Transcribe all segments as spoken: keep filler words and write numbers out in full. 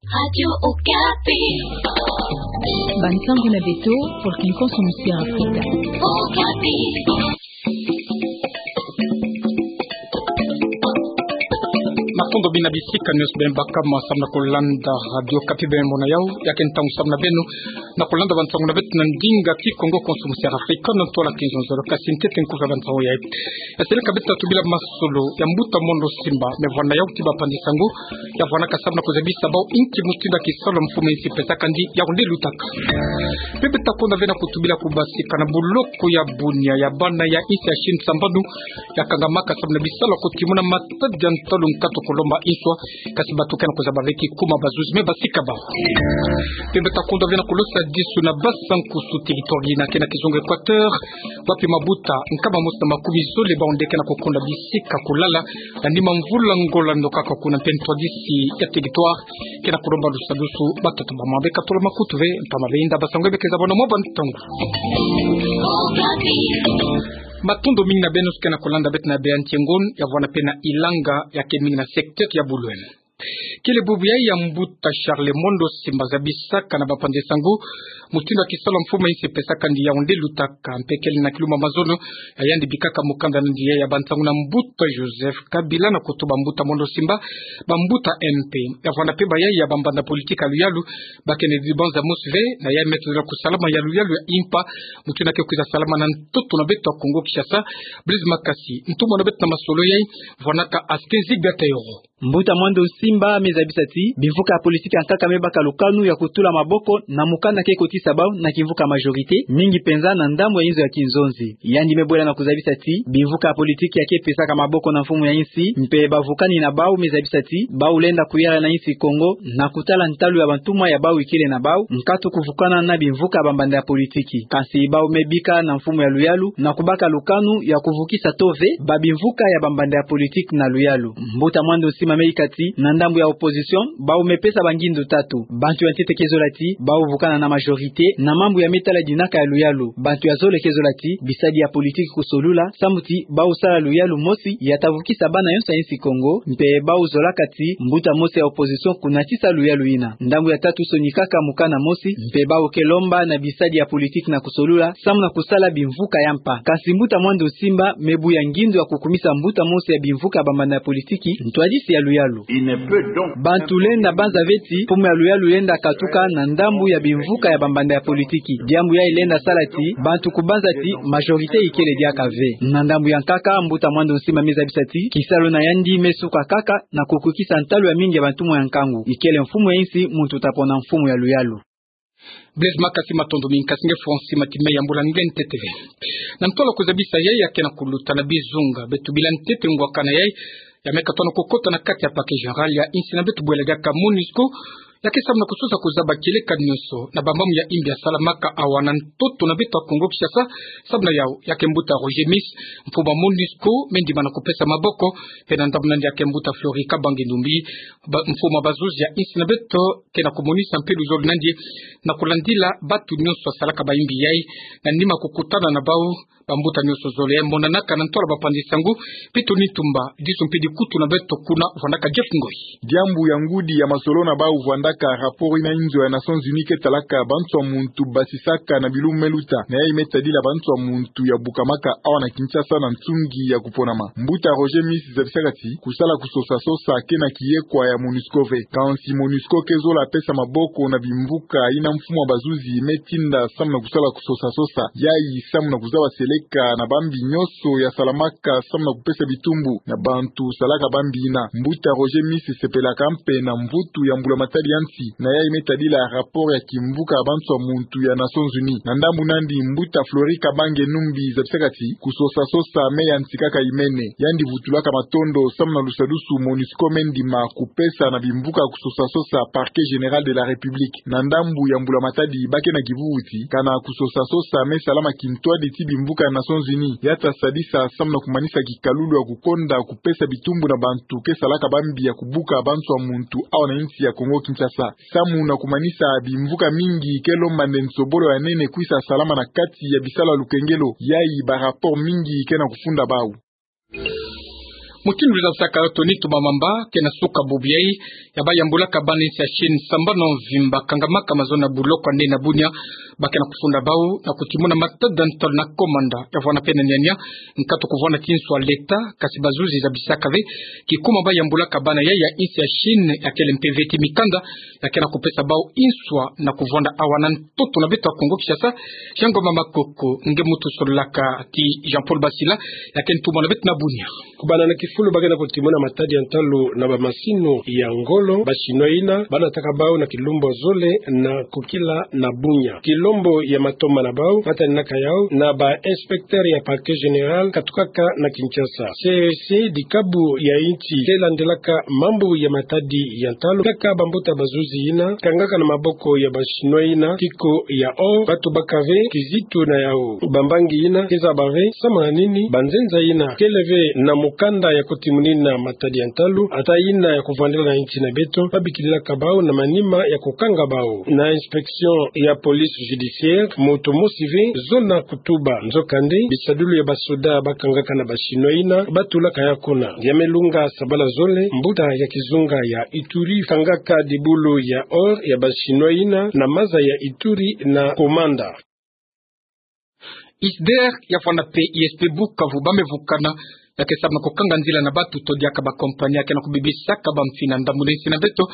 Radio Okapi. Bansango na beto, pour qu'une consommière africaine. Okapi. Matondo mingi na bisika nyonso beno baka mo samu na kulanda Radio Okapi, beno mona yau, ya ke ntangu samu na beno na kulanda bansango na beto na ndinga Kikongo, consommière africaine, na ntwala kizonzolo. Kasi ntete nkufi ya bansango yayi, ya seleka beto na tubila masolo ya mbuta Mondo Simba, me vwanda yau ti bapanzi sango, ya vwanaka samu na kuzabisa bau inki mutindu ya kisalu mfumu ya insi pesaka ndi ya onde lutaka. Mpe beto ta konda ve na kutubila kubasika na buloko ya Bunia ya bana ya insi ya Chine sambanu, ya kangamaka samu na bisalu ya kutimuna matadi ya ntalu nkatu kulomba inswa, kasi bato ke na kuzaba ve ki kuma bazuzi me basika bau. Mpe beto ta konda ve na kulosa disu na Basa-Nkusu, territoire yina ke na kizunga Equateur, wapi mabuta nkama mosi na makumi zole bau nde ke na kukonda bisika kulala, na nima mvula ngo lando kaka kuna. Mpe ntwadisi ya territoire ke na kulomba lusadusu. Batata, bamama, beka tula makutu ve, ntama ve inda basango be ke zabana mwa bantangu. Matondo mingi na beno ke na kulanda beto na bê N T Ngon, ya vwanda mpe na Ilanga, ya ke mingi na secteur ya Boulogne. Kele bubu yayi ya mbuta Charles Mondo Simba zabisaka na bapanzi sango mutindu ya kisalu mfumu ya insi pesaka ndi ya onde lutaka, mpe kele na kilumbu ya mazono ya yandi bikaka mukanda na ndi ya bansango na mbuta Joseph Kabila, na kutuba mbuta Mondo Simba bambuta M P. Ya vwanda mpe bayayi ya bambanda politique ya luyalu, ba ke na dibanza mosi ve na yayi Me Tozela Kusalama ya luyalu ya impa, mutindu ya ke kwiza salama na ntoto na beto ya Kongo Kinshasa. Blaise Makasi, ntumwa na beto na masolo yayi, vwanaka aske zigata yoro. Mbuta Mondo Simba me zabisa ti bimvuka ya politique ya nkaka me baka lukanu ya kutula maboko na mukanda ke kotisa bau na kimvuka majorité, mingi penza na ndambu ya inzo ya kinzonzi. Yandi me bwela na kuzabisa ti bimvuka ya politique ya ke pesaka maboko na mfumu ya insi mpe bavukani na bau me zabisa ti bau lenda kuyala na insi Kongo na kutala ntalu ya bantumwa ya bau ikele na bau, nkatu kuvukana na bimvuka ya bambanda ya politique. Kansi bau me bika na mfumu ya luyalu na kubaka lukanu ya kuvukisa to ve babimvuka ya bambanda ya politique na luyalu. Mbuta Mondo Simba me yika ti na ndambu ya opposition, bau me pesa bangindu tatu. Bantu ya ntete ke zola ti bau vukana na majorité na mambu ya me tala dinaka ya luyalu. Bantu ya zole ke zola ti bisadi ya politique kusolula, samu ti bau sala luyalu mosi ya ta vukisa bana yonso ya insi Kongo, mpe bau zolaka ti mbuta mosi ya opposition kunatisa luyalu yina. Ndambu ya tatu sonikaka mukanda mosi, mpe bau ke lomba na bisadi ya politique na kusolula, samu na kusala bimvuka ya mpa. Kansi mbuta Mondo Simba me buya ngindu ya kukumisa mbuta mosi ya bimvuka ya bambanda ya politique ntwadisi ya luyalu. Bantu lenda banza ve ti mfumu ya luyalu lenda katuka na ndambu ya bimvuka ya bambanda ya politique. Diambu yayi lenda sala ti bantu kubanza ti majorité ikele diaka ve. Na ndambu ya nkaka, mbuta Mondo Simba me zabisa ti kisalu na yandi me suka kaka na kukwikisa ntalu ya mingi ya bantumwa ya nkangu, ikele mfumu ya insi muntu ta pona mfumu ya luyalu. Blaise Makasi, matondo mingi, kasi nge fwa nsima ti me yambula nge ntete ve. Na ntwala kuzabisa yayi ya ke na kuluta na bizunga, beto bila ntete ngwakana yayi ya me katono kukota na kati ya parquet général ya insi na beto bwela diaka MONUSCO, ya ke samu na kusosa kuzaba kieleka nyonso na bambamu ya imbi ya salamaka awa na ntoto na beto ya Kongo Kinshasa. Samu na yau, ya ke mbuta Roger Miss, mfumu ya MONUSCO, me ndima na kupesa maboko, mpe na ndambu na yandi ya ke mbuta Fleury Kabange Numbi, ba-, mfumu ya bazuzi ya insi na beto, ke na kumonisa mpe luzolo na yandi na kulandila bantu nyonso ya salaka bayimbi yayi, na nima kukutana na bau bambuta nyonso zole. Monanaka na ntwala bapanzi sango, Pito Nitumba, disu mpe dikutu na beto kuna, vwandaka Jeff Ngoy. Diambu ya ngudi ya masolo na bau vwandaka rapport ina inzo ya Nations Unies ke talaka bansoa muntu basisaka na bilumbu me luta, na yayi me tadila bansoa muntu ya bukamaka awa na Kinshasa na nsungi ya kuponama. Mbuta Roger Miss zabisaka ti kusala kusosa-sosa ke na kiyekwa ya MONUSCO ve. Kansi MONUSCO ke zola pesa maboko na bimvuka ina mfumu ya bazuzi me tinda samu na kusala kusosa-sosa. Yayi samu na kuzaba seleka na bambi nyonso ya salamaka samu na kupesa bitumbu na bantu salaka bambi ina. Mbuta Roger Miss sepelaka mpe na mvutu ya mbula matadi ya nsi, na yayi me tadila rapport ya kimvuka ya bansoa muntu ya Nations Unies. Na ndambu na yandi, mbuta Fleury Kabange Numbi zabisaka ti kusosa-sosa me yantikaka imene. Yandi vutulaka matondo samu na lusadusu MONUSCO me ndima kupesa na bimvuka kusosa-sosa Parquet Général de la République. Na ndambu ya mbula matadi, ba ke na kivuvu ti kana kusosa-sosa me salama kintwadi ti bimvuka ya Nations Unies ya ta sadisa samu na kumanisa kikalulu ya kukonda kupesa bitumbu na bantu ke salaka bambi ya kubuka bansoa muntu awa na insi ya Kongo Kinshasa. Samu na kumanisa, bimvuka mingi ke lomba nde nsobolo ya nene kwisa salama na kati ya bisalu ya lukengelo. Yayi ba rapport mingi ke na kufunda bau. Mutindu luzabasaka yo Tony Tumamamba, ke na suka bubu yayi, ya bayambulaka bana insi ya Chine sambanu mvimba, kangamaka mazono ya buloko ya nene na bunia, ba ke na kufunda bau na kutimuna matadi ya ntalu na komanda, ya vwanda mpe na niania, nkatu kuvwanda ti nswa leta, kasi bazuzi zabisaka ve, kikuma bayambulaka bana yayi ya insi ya Chine, ya kele mpe ve ti mikanda, ya ke na kupesa bau inswa na kuvwanda awa na ntoto na beto ya Kongo Kinshasa. Jean Ngoma Makoko, nge muntu sololaka ti Jean-Paul Basila, ya ke ntumwa na beto na bunia. Kubanda na kifulu ba ke na kutimuna matadi ya ntalu na bamasini ya ngolo, ba Chinois ina, ba nataka bau na kilumbu zole na kukila na bunia. Kilombo ya matoma na bau, mataninaka yau na ba inspecteur ya parquet général, katukaka na Kinshasa. C E C, dikabu ya insi ke landelaka mambu ya matadi ya ntalu, kaka bambuta bazuzi ina, kangaka na maboko ya ba Chinois ina, kiko ya or, ba tubaka ve kizitu na yau. Bambangi ina, ke zaba ve, samu na nini, banzenza ina, kele ve na mukanda ya kutimunina matadi ya ntalu, ata ina ya kuvwandila na insi na beto, ba bikililaka bau na manima ya kukanga bau. Na inspection ya police judiciaire, muntu mosi ve, zona kutuba. Nzokande, bisadulu ya basoda ba kangaka na ba Chinois ina, ba tulaka yau kuna. Ya me lunga sabala zole, mbuta ya kizunga ya Ituri, kangaka dibulu ya or ya ba Chinois ina, na maza ya Ituri na komanda. ISDER, ya vwanda mpe I S P Bukavu, ba me vukana, ya ke samu na kukanga nzila na batu to diaka ba compagnie ya ke na kubibisaka bamfina ndambu na insi na beto,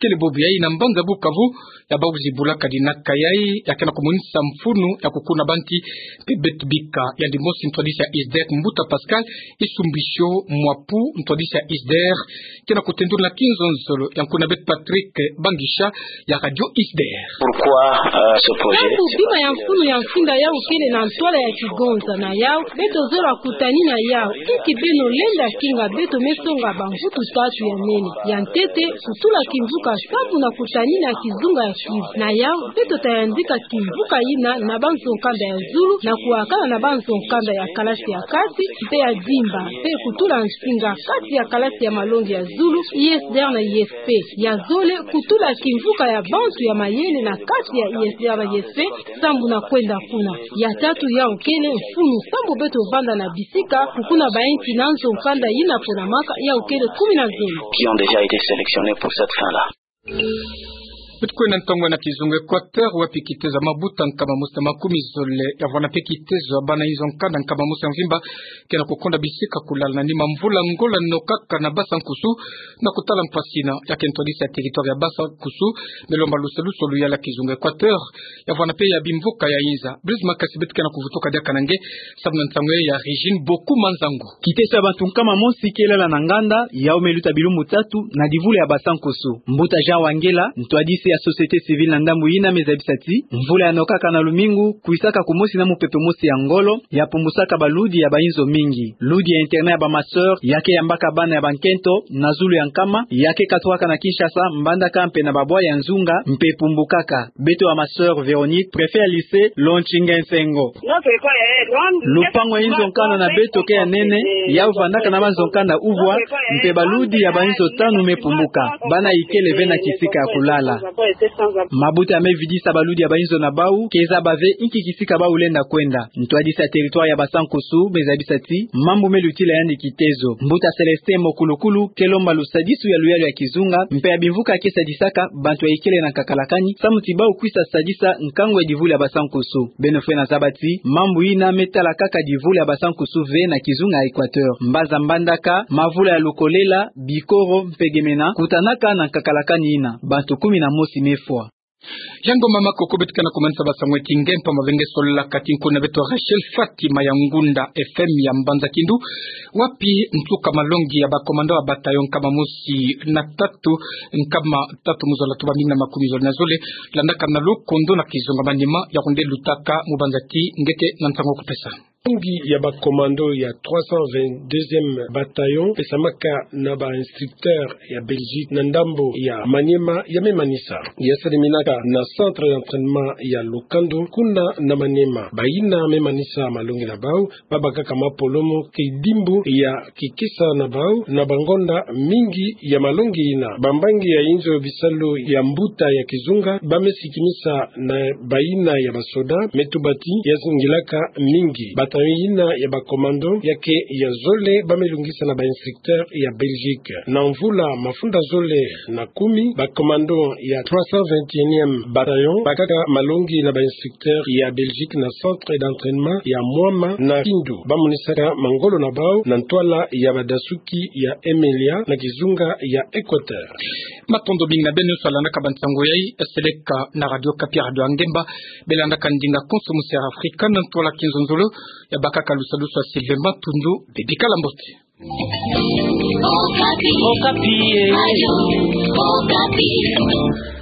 kele bubu yayi na mbanza Bukavu, ya bauzi bulaka dinaka yayi, ya ke na kumonisa mfunu ya kukuna banti, mpe beto bika, yandi mosi ntwadisi ya ISDER, mbuta Pascal Isumbisho Mwapu, ntwadisi ya ISDER, ke na kutendula kinzonzolo, ya nkuna beto Patrick Bangisha, ya Radio ISDER. Pourquoi, euh, ce projet? Samu bima ya mfunu ya mfinda yau kele na ntwala ya kigonza na yau, beto zola kutanina yau, inki beno lenda kinga beto me songa bamvutu tatu ya nene. Ya ntete, kutula kimvuka sambu na kutanina kizunga ya Kivu. Na yau, beto ta yandika kimvuka ina na banzo-nkanda ya zulu, na kuwakana na banzo-nkanda ya kalasi ya kati, mpe ya dimba, mpe kutula nsinga kati ya kalasi ya malongi ya zulu, ISDER na ISP. Ya zole, kutula kimvuka ya bantu ya mayele na kati ya ISDER na ISP, sambu na kwenda kuna. Ya tatu yau kele mfunu, sambu beto vanda na bisika, kukuna bainsi na nzo-nkanda ina ponamaka, yau kele kumi na zole. Qui ont déjà été sélectionnés pour cette fin-là. Beto kwenda ntangu na kizunga Équateur, wapi kitezo ya mabuta nkama mosi na makumi zole, ya vwanda mpe kitezo ya bana inzo-nkanda nkama mosi ya mvimba, ke na kukonda bisika kulala na nima mvula ngola nokaka na Basa-Nkusu, na kutala mpasi ina, ya ke ntwadisi ya territoire ya Basa-Nkusu, me lomba lusalusu luyala kizunga Équateur, ya vwanda mpe ya bimvuka ya inza. Blaise Makasi, beto ke na kuvutuka diaka na nge, samu na nsangu ya Régine Boku Manzangu. Kitezo ya bantu nkama mosi ke lala na nganda, yau me luta bilumbu tatu, na divulu ya Basa-Nkusu. Mbuta Jean Wangela, ntwadisi ya société civile na ndambu ina me zabisa ti, mvula ya nokaka na lumingu, kwisaka kumosi na mupepe mosi ya ngolo, ya pumbusaka baludi ya bainzo mingi. Ludi ya internat ya ba ma sœur, ya ke yambaka bana ya bankento, na zulu ya nkama, ya ke katukaka na Kinshasa, mbandaka mpe na babwa ya nzunga, mpe pumbukaka. Beto ya ma sœur Véronique, préfet ya lycée, lontinga nsengo. Lupangu ya inzo-nkanda na beto ke ya nene, yau vandaka na banzo-nkanda uvwa, mpe baludi ya bainzo tanu me pumbuka, bana ikele ve na kisika ya kulala. Mabuta ya me vidisa baludi ya bainzo na bau, ke zaba ve inki kisika bau lenda kwenda. Ntwadisi ya territoire ya Basa-Nkusu me zabisa ti, mambu me lutila yandi kitezo. Mbuta Célestin Mokulukulu, ke lomba lusadisu ya luyalu ya kizunga, mpe ya bimvuka ke sadisaka, bantu ya ikele na nkakalakani, samu ti bau kwisa sadisa nkangu ya divulu ya Basa-Nkusu. Beno fwena zaba ti, mambu ina me tala kaka divulu ya Basa-Nkusu ve na kizunga ya Équateur. Mbaza mbandaka, mavula ya lukolela, bikoro, mpe gemena, kutanaka na nkakalakani ina, bantu kumi na mosi me fwa. Jean Ngoma Makoko, beto ke na kumanisa basangu ya kingempa mavenge solaka ti nkuna beto Rachel Fatima ya Ngunda F M ya Mbanza Kindu, wapi nsuka malongi ya ba commando ya bataillon nkama mosi na tatu, nkama tatu mu zola tuba mine na makumi zole na zole, landaka na lukondo na kizunga manima ya kunde lutaka mu banza ti nge ke na nsangu kupesa. Malongi ya ba commando ya trois cent vingt-deuxième bataillon, pesamaka na ba instructeur ya Belgique na ndambo ya Maniema, ya me manisa. Ya saliminaka na centre d'entraînement ya Lukando, kuna na Maniema. Bayina me manisa malongi na bau, babakaka mapolomo kidimbu ya kikisa na bau, na bangonda mingi ya malongi ina. Bambangi ya inzo bisalu ya mbuta ya kizunga, ba me sikimisa na bayina ya basoda, me tuba ti ya zingilaka mingi. Ba Bataillon yina ya ba commando ya ke ya zole ba me lungisa na ba instructeur ya Belgique. Na mvula mafunda zole na kumi, ba commando ya trois cent vingt et unième bataillon bakaka malongi na ba instructeur ya Belgique na centre d'entraînement ya Mwama na Kindu. Ba monisaka mangolo na bau na ntwala ya badasuki ya Emelia na kizunga ya Équateur. Matondo mingi na beno nyonso landaka ba nsango yayi, seleka na Radio Okapi, radio ya ngemba. Belandaka ndinga konso mu Sierra Africa na ntwala kinzonzolo. Ya bakaka lusalusu ya Sylvain Matundu, bebikala mbote. Okapi. Okapi, eh. Radio Okapi.